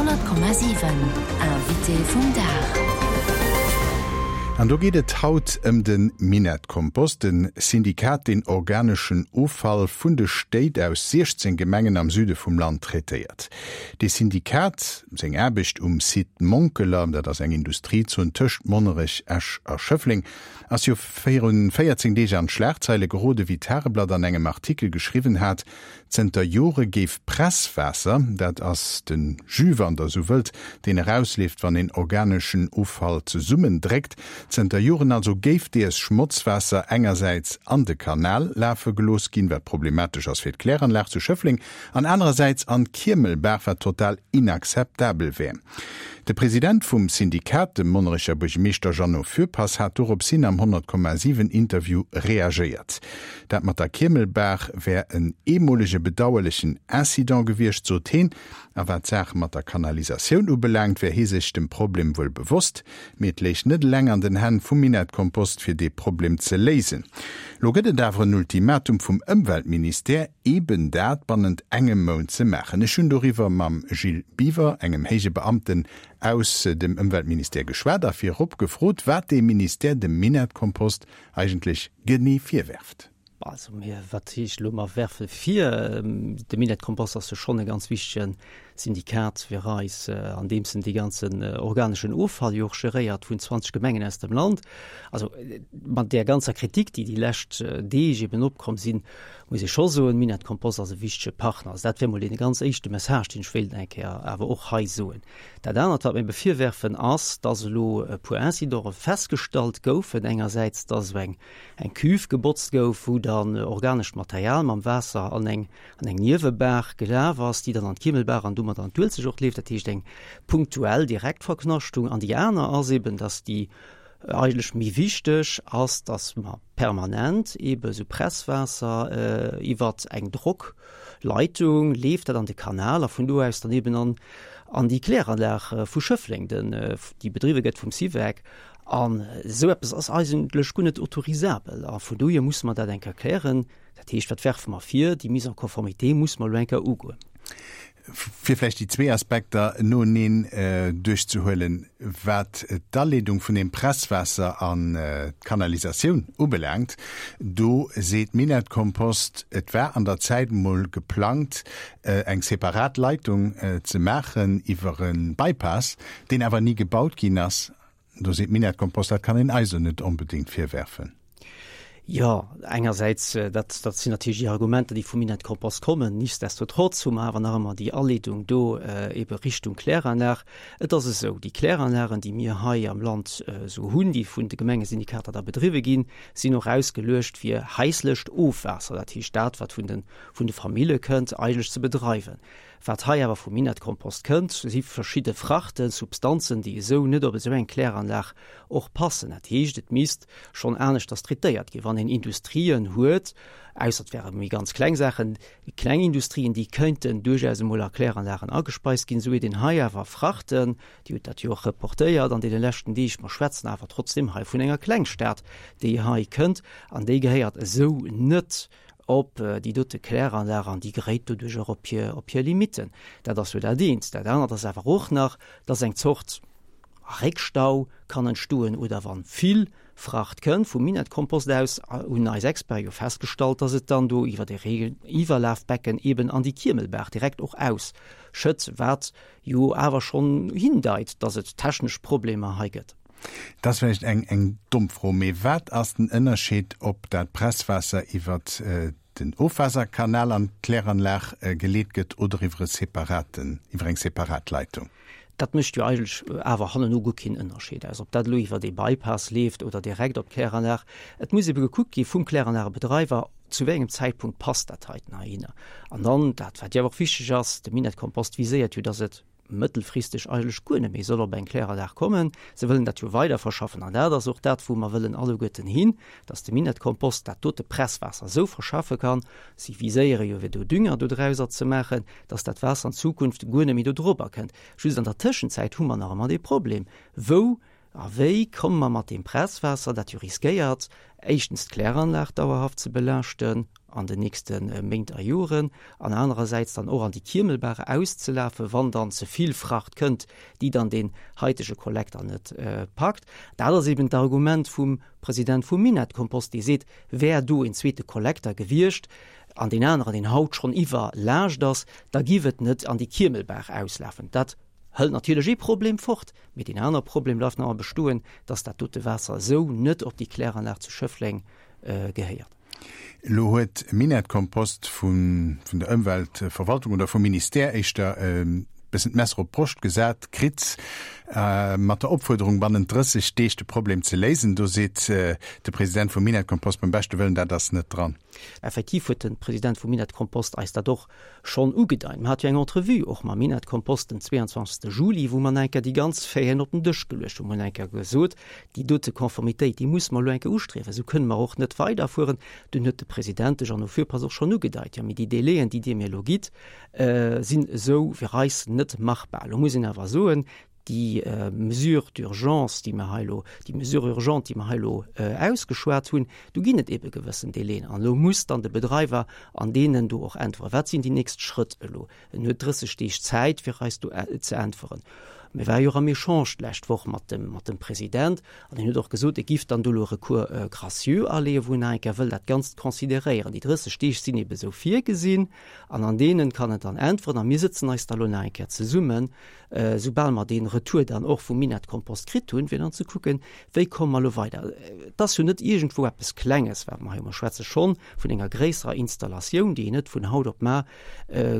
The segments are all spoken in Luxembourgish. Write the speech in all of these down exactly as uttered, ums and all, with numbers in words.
Honnert Komma siwen, Invité vum Dag. An do geet et haut ëm de Minett-Kompost, de Syndikat, deen organeschen Offall vun de Stéit aus siechzéng Gemengen am Süde vum Land traitéiert. De Syndikat, seng Aarbecht um Site Monkeler, dat ass eng Industriezon tëscht Monnerech, Esch a Schëffleng, ass jo virun véierzéng Deeg an d'Schlagzeile gerode wéi d'Tageblatt an engem Artikel geschriwwen hat, zënter Jore géif Presswaasser, dat ass de Jus wann der esou wëllt, deen erausleeft wann een organeschen Offall zesummendréckt, zënter Joren also géif dees Schmotzwaasser engersäits an de Kanal lafe gelooss ginn, wat problematesch ass fir d'Kläranlag zu Schëffleng, an anerersäits an d'Kiemelbaach, wat total inakzeptabel wär. De President vum Syndikat, de Monnerecher Buergermeeschter Jeannot Fürpass, hat dorops hin am honnert Komma siwen Interview reagéiert. Dat mat der Kiemelbaach wär en eemolege bedauerlechen Incident gewiescht, sot heen. A wat d'Saach mat der Kanalisatioun ubelaangt, wär hie sech dem Problem wuel bewosst, mee et léich net eleng an den Hänn vum Minettkompost, fir dee Problem ze léisen. Lo gëtt et awer en Ultimatum vum Ëmweltministère, eben dat bannent engem Mount ze maachen. Ech hunn doriwwer mam Gilles Biver, engem héije Beamten aus dem Ëmweltministère geschwat a virop gefrot, wat dee Ministère dem Minettkompost eigentlech genee virwerft. Also mir, wat heescht elo mer werfe vir? De Minettkompost ass jo schonn e ganz wichtege Syndikat fir eis, an deems en dee ganzen organeschen Offall jo och geréiert vun zwanzeg Gemengen aus dem Land. Also mat där ganzer Kritik, déi déi lescht Deeg eben opkomm sinn, muss ee scho soen, Minettkompost ass e wichtege Partner. Also dat wär mol dee ganz éischte Message, deen ech wéilt eng Kéier awer och hei soen. Dat anert, wat mir ebe virwerfen, ass, dass elo e puer Incidente festgestallt goufen. Engersäits, dass esou eng eng Cuve gebotzt gouf, wou dann organescht Material mam Waasser an eng an eng Niewebaach gelaf ass, déi dann an d'Kiemelbaach an domat an d'Uelzecht och leeft, dat heescht eng punktuell Direktverknaschtung. An déi aner ass eben, dass déi eigentlech méi wichteg ass, dass mer permanent ebe sou Presswaasser iwwert eng Drockleitung leeft dat an de Kanal a vun do aus dann eben an an déi Kläranlag vu Schëffleng, den déi bedriwwe gëtt vum SIVEC. An esou eppes ass eigentlech guer net autorisabel. A vun dohier musse mer dat eng Kéier klären. Dat heescht, wat werfe mer vir? Déi Mise en conformité musse mer elo eng Kéier ugoen. Fir vläicht déi zwee Aspekter noeneen duerchzehuelen, Wat d'Aleedung vun deem Presswaasser an d'Kanalisatioun ubelaangt, do seet Minett-Kompost, et war an der Zäit emol geplangt, eng separat Leitung ze maachen iwwer e Bypass, deen awer ni gebaut ginn ass. Do seet Minett-Kompost, dat kann een eis elo net onbedéngt virwerfen. Jo, engersäits, dat, dat sinn natierlech déi Argumenter, déi vum Minett-Kompost kommen. Nichtsdestotrotz hu mer awer nach ëmmer déi Aleedung do ebe Richtung Kläranlag. Et ass esou, déi Kläranlagen, déi mir hei am Land esou hunn, déi vun de Gemengesyndikater da bedriwwe ginn, sinn och ausgeluecht fir haislecht Ofwaasser, dat heescht dat, wat vun de, vun de Famille kënnt, eigentlech ze bedreiwen. Wat hei awer vum Minettkompost kënnt, si verschidde Frachten, Substanzen, déi esou net op esou eng Kläranlag och passen. Dat heescht, et misst schonn aneschters traitéiert ginn. Wann een Industrien huet, ausser et wäre méi ganz kleng Saachen, kleng Industrien, déi këinten duerchaus emol a Kläranlagen agespeist ginn, esou huet een hei awer Frachten, Dir hutt dat jo och reportéiert an deene leschten Deeg, mer schwätzen awer trotzdeem hei vun enger Klengstad, déi hei kënnt, an déi gehéiert esou net op déi dote Kläranlag an déi geréit doduerch och op hir, op hir Limitten. Dat ass jo dat eent. Dat anert ass awer och nach, dass eng Zort Réckstau kann entstoen oder wa vill Fracht kënnt vum Minettkompost aus, hunn eis Experten jo festgestallt, dass et dann do iwwer e Reegiwwerlafbecken eben an déi Kiemelbaach direkt och ausschëtt, wat jo awer schonn hindeit, dass et technesch Problemer hei gëtt. Dat ass vläicht eng eng domm Fro, mee wat ass den Ënnerscheed, ob dat Presswaasser iwwer den Ofwaasserkanal an d'Kläranlag geleet gëtt oder iwwer e separaten, iwwer eng separat Leitung? Dat mécht jo eigentlech awer hanneno guer keen Ënnerscheed aus, ob dat elo iwwer ee Bypass leeft oder direkt op d'Kläranlag. Et muss ebe gekuckt gi vum Kläranlagebedreiwer, zu wéi engem Zäitpunkt passt dat heiten heihinner. An dann dat, wat jo awer och wichteg ass, de Minettkompost viséiert jo, dass et mëttelfristeg eigentlech guer net méi soll op eng Kläranlag kommen. Se wëllen dat jo weiderverschaffen an dat ass och dat, wou mer wëllen alleguerten hin, dass de Minettkompost dat dote Presswaasser esou verschaffe kann, si viséiere jo fir do Dünger dodrauser ze maachen, dass dat Waasser an Zukunft guer net méi do drobber kënnt. Just an der Tëschenzäit hu mer nach ëmmer dee Problem, wou a wéi komme mer mat deem Presswaasser, dat jo riskéiert, éischtens d'Kläranlag dauerhaft ze belaaschten, an den nächste Méint a Joren, an anerersäits dann och an déi Kiemelbaach auszelafen, wann dann ze vill Fracht kënnt, déi dann deen haitege Kollekter net packt. Dat ass eben d'Argument vum President vum Minett-Kompost, dee seet, wär do en zweete Kollekter gewiescht an deen aneren, deen haut schonn iwwerlaascht ass, da giff et net an déi Kiemelbaach auslafen. Dat hëlt natierlech ee Problem fort, mee deen aner Problem bleift nach ëmmer bestoen, dass dat dote Waasser esou net op déi Kläranlag zu Schëffleng gehéiert. Elo huet Minett-Kompost vun der Ëmweltverwaltung oder vum Ministère éischter e bëssen d'Messer op d'Broscht gesat kritt, mat der Opfuerderung, bannent drësseg Deeg de Problem ze léisen. Do seet de President vum Minett-Kompost beim beschte Wëllen, dat ass net dran. Effektiv huet de President vum Minett-Kompost eis dat och schonn ugedeit. Mer hate jo eng Entrevue och mam Minett-Kompost den zweeënzwanzegste Juli, wou mer nach eng Kéier déi ganz Faiten op den Dësch geluecht hunn. Mer hunn eng Kéier gesot, déi dote Konformitéit, déi musse mer elo eng Kéier ustriewen, esou kënne mer och net weiderfueren. Dunn huet de President, de Jeannot Fürpass, och schonn ugedeit, jo, mee déi Délaiën, déi Dir mir elo gitt, sinn esou fir eis net machbar. Elo muss een awer soen, déi Mesure d'urgence, déi mer hei elo, déi Mesure urgente, déi mer hei elo ausgeschwat hunn, do ginn et ebe gewëssen Délaiën. An elo muss dann de Bedreiwer an deenen do och äntweren. Wat sinn déi nächst Schrëtt elo? En huet drësseg Deeg Zäit, fir eis do ze äntweren. Mir ware jo och am Echange d'lescht Woch mat dem, mat dem President, an hien huet och gesot, e giff dann do elo e Recours gracieux aleeën, wou en nach eng Kéier wëll dat Ganzt consideréieren. Déi drësseg Deeg sinn ebe sou virgesinn, an an deenen kann en dann äntweren. A mir sëtzen eis da elo nach eng Kéier zesummen, soubal mer dee Retour dann och vum Minett-Kompost kritt hunn, fir dann ze kucken, wéi komme mer elo weider. Et ass jo net iergendwou eppes Klenges, wat mer hei hunn. Mer schwätze schonn vun enger gréisserer Installatioun, déi een net vun haut op mar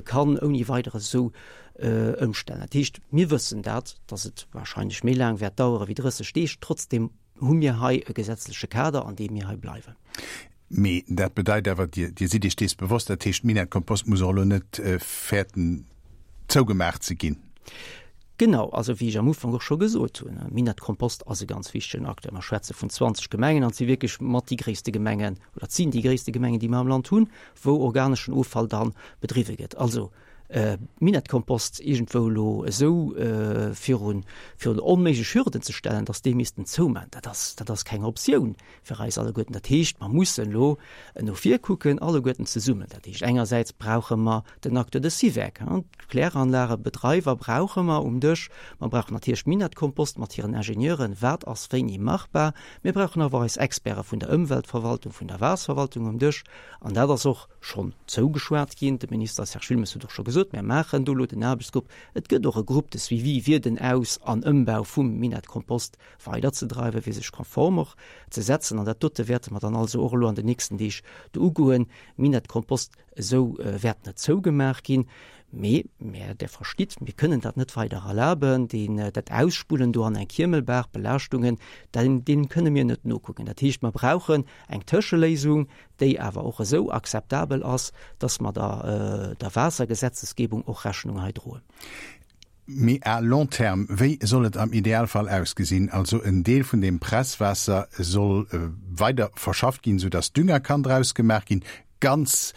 kann ouni Weideres esou ëmstellen. Dat heescht, mir wëssen dat, dass et wahrscheinlech méi laang wäert dauere wéi drësseg Deeg. Trotzdem hu mir hei e gesetzleche Kader, an deem mir hei bleiwen. Mee dat bedeit awer, Dir, Dir sidd Iech dees bewosst, dat heescht, Minett-Kompost muss och elo net fäerten, zougemaach ze ginn. Genau, also wéi ech am Ufank och scho gesot hunn, Minett-Kompost ass e ganz wichtegen Acteur. Mer schwätze vun zwanzeg Gemengen an et si wierklech mat déi gréisste Gemengen, oder et sinn déi gréisste Gemengen, déi mer am Land hunn, wou organeschen Offall da bedriwwe gëtt. Also Minett-Kompost iergendwou elo esou virun virun onméiglech Hürden ze stellen, datt déi missten zouman, dat ass, dat ass keng Optioun fir eis alleguerten. Dat heescht, mer mussen elo no vir kucken, alleguerten zesummen. Dat heescht, engersäits brauche mer den Acteur de SIVEC, d'Kläranlagebedreiwer brauche mer um Dësch. Mer brauchen natierlech Minett-Kompost mat hiren Ingenieuren, wat ass wéini machbar. Mir brauchen awer och eis Experte vun der Ëmweltverwaltung, vun der Waasserverwaltung um Dësch. An dat ass och schonn zougeschwat ginn. De Minister Serge Wilmes huet och scho gesot, Mir maachen do elo den Aarbechtsgrupp. Et gëtt och e Groupe de suivi, fir den Aus an Ëmbau vum Minett-Kompost weiderzedreiwen, fir sech konform och ze setzen. An dat dote wäerte mer dann also och elo an den nächsten Deeg do ugoen. Minett-Kompost esou wäert net zougemaach ginn. Mee, mä Der verstitt, mir kënnen dat net weider erlaben, deen, dat Ausspullen do an eng Kiemelbaach, Belaaschtungen, deem, deem kënne mir net nokucken. Dat heescht, mer brauchen eng Tëscheléisung, déi awer och esou akzeptabel ass, dass mer der, der Waassergesetzesgebung och Rechnung hei droen. Mee à long terme, wéi soll et am Idealfall ausgesinn? Also en Deel vun deem Presswaasser soll weider verschafft ginn, soudass Dünger kann draus gemaach ginn. Ganz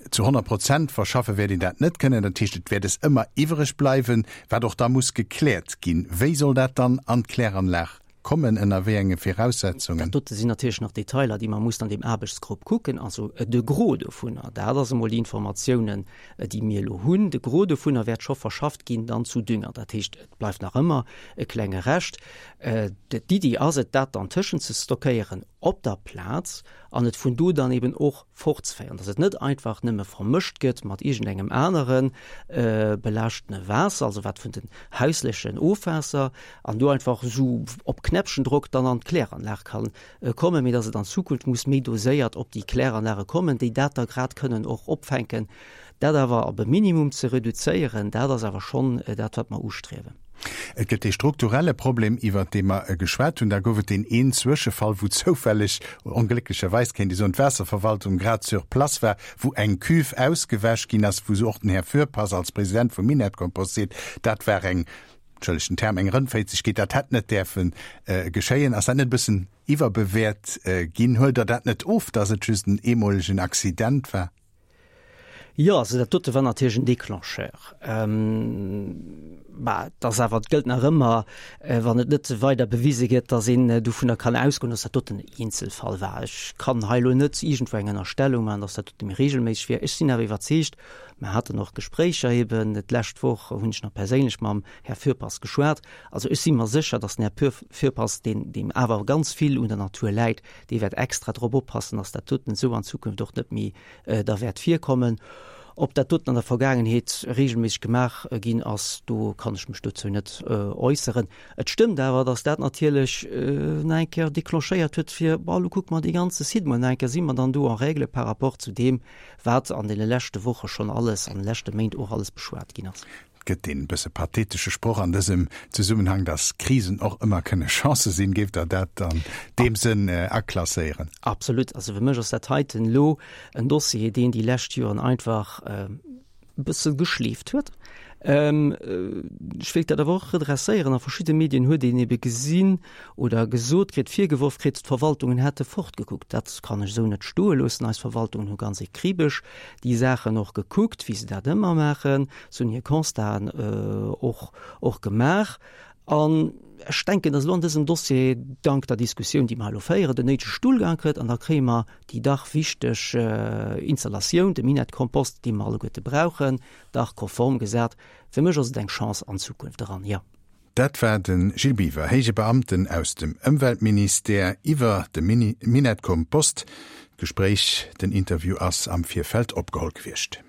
zu honnert Prozent verschaffe wäert een dat net kënnen. Dat heescht, et wäert es ëmmer iwwereg bleiwen, wat och da muss gekläert ginn. Wéi soll dat dann an d'Kläranlag kommen, ënner wéi enge Viraussetzungen? Dat dote sinn natierlech nach Detailer, déi mer mussen an deem Aarbechtsgrupp kucken. Also de Gros dovunner, dat ass emol déi Informatiounen, déi mir elo hunn, de Gros dovunner wäert scho verschafft ginn dann zu Dünger. Dat heescht, et bleift nach ëmmer e klenge Rescht. D'Iddi ass et, dat dann tëschenzestockéieren op der Plaz an et vun do dann eben och fortzeféieren, dass et net einfach nëmme vermëscht gëtt mat iergendengem anere belaaschtene Waasser, also wat vun den hauslechen Ofwaasser, an do einfach esou op Knäppchendrock dann an d'Kläranlag ka kommen, mee dass et an Zukunft muss méi doséiert op déi Kläranlage kommen, déi dat da grad kënnen och opfänken. Dat awer op e Minimum ze reduzéieren, dat ass awer schonn dat, wat mer ustriewen. Et gëtt dee strukturelle Problem, iwwert dee mer geschwat hunn. Da gouf et deen een Zwëschefall, wou zoufälleg, onglécklecherweis kéint ee soen, d'Waasserverwaltung grad sur place war, wou eng Cuve ausgewäsch ginn ass, wou och den Här Fürpass als President vum Minett-Kompost seet, dat war eng, entschëllegt den Term, eng Rëndféizegkeet, dat hätt net däerfe geschéien. Ass dat net e bëssen iwwerbewäert ginn? Huelt Der dat net of, datt et just en eemolegen Accident war? Jo, also dat dote war natierlech en Déclencheur. Bah, et ass awer, et gëllt nach ëmmer, wann et net weider bewise gëtt, datt een dovunner kann ausgoen, datt dat doten en Eenzelfall war. Ech kann hei elo net iergendwou eng Ënnerstellung maachen, datt dat dote méi regelméisseg wier. Ech sinn awer iwwerzeegt, mer haten och Gespréicher eben d'lescht Woch, hunn ech nach perséinlech mam Här Fürpass geschwat, also ech si mer sécher, datt den Här Fürpass, deen, deem awer ganz vill un der Natur läit, dee wäert extra drop oppassen, datt dat doten esou an Zukunft och net méi da wäert virkommen. Ob dat doten an der Vergaangenheet regelméisseg gemaach ginn ass, do kann ech mech dozou net äusseren. Et stëmmt awer, datt dat natierlech nach eng Kéier declenchéiert huet fir, bon, elo kucke mer dee ganze Site mol nach eng Kéier, si mer dann do en règle par rapport zu deem, wat an deene leschte Woche schonn alles, an de leschte Méint och alles beschwat ginn ass. Gëtt deen bësse pathetesche Sproch an dësem Zesummenhang, dass Krisen och ëmmer kënne Chancë sinn, géift Der dat an deem Sënn aklasséieren? Absolut. Also fir mech ass dat heiten elo en Dossier, deen déi lescht Joren einfach e bësse geschleeft huet. Ech wéilt dat awer och redresséieren. A verschidde Medien huet een ebe gesinn oder gesot kritt, virgeworf kritt, d'Verwaltungen hätte fortgekuckt. Dat kann ech esou net stoe loossen. Eis Verwaltungen hu ganz akribesch déi Saachen och gekuckt, wéi se dat ëmmer maachen. Se hunn hir Constaten och, och gemaach. An ech denken, datt elo an dësem Dossier, dank der Diskussioun, déi mer elo féieren, den néidege Stullgang kritt an da kréie mer déi dach wichteg Installatioun, de Minett-Kompost, dee mer alleguerte brauchen, dach konform gesat. Fir mech ass et eng Chance an d'Zukunft eran, jo. Dat war de Gilles Biver, héije Beamten aus dem Ëmweltministère, iwwer de Minett-Kompost. D'Gespréich, den Interview ass am Virfeld opgeholl gewiescht.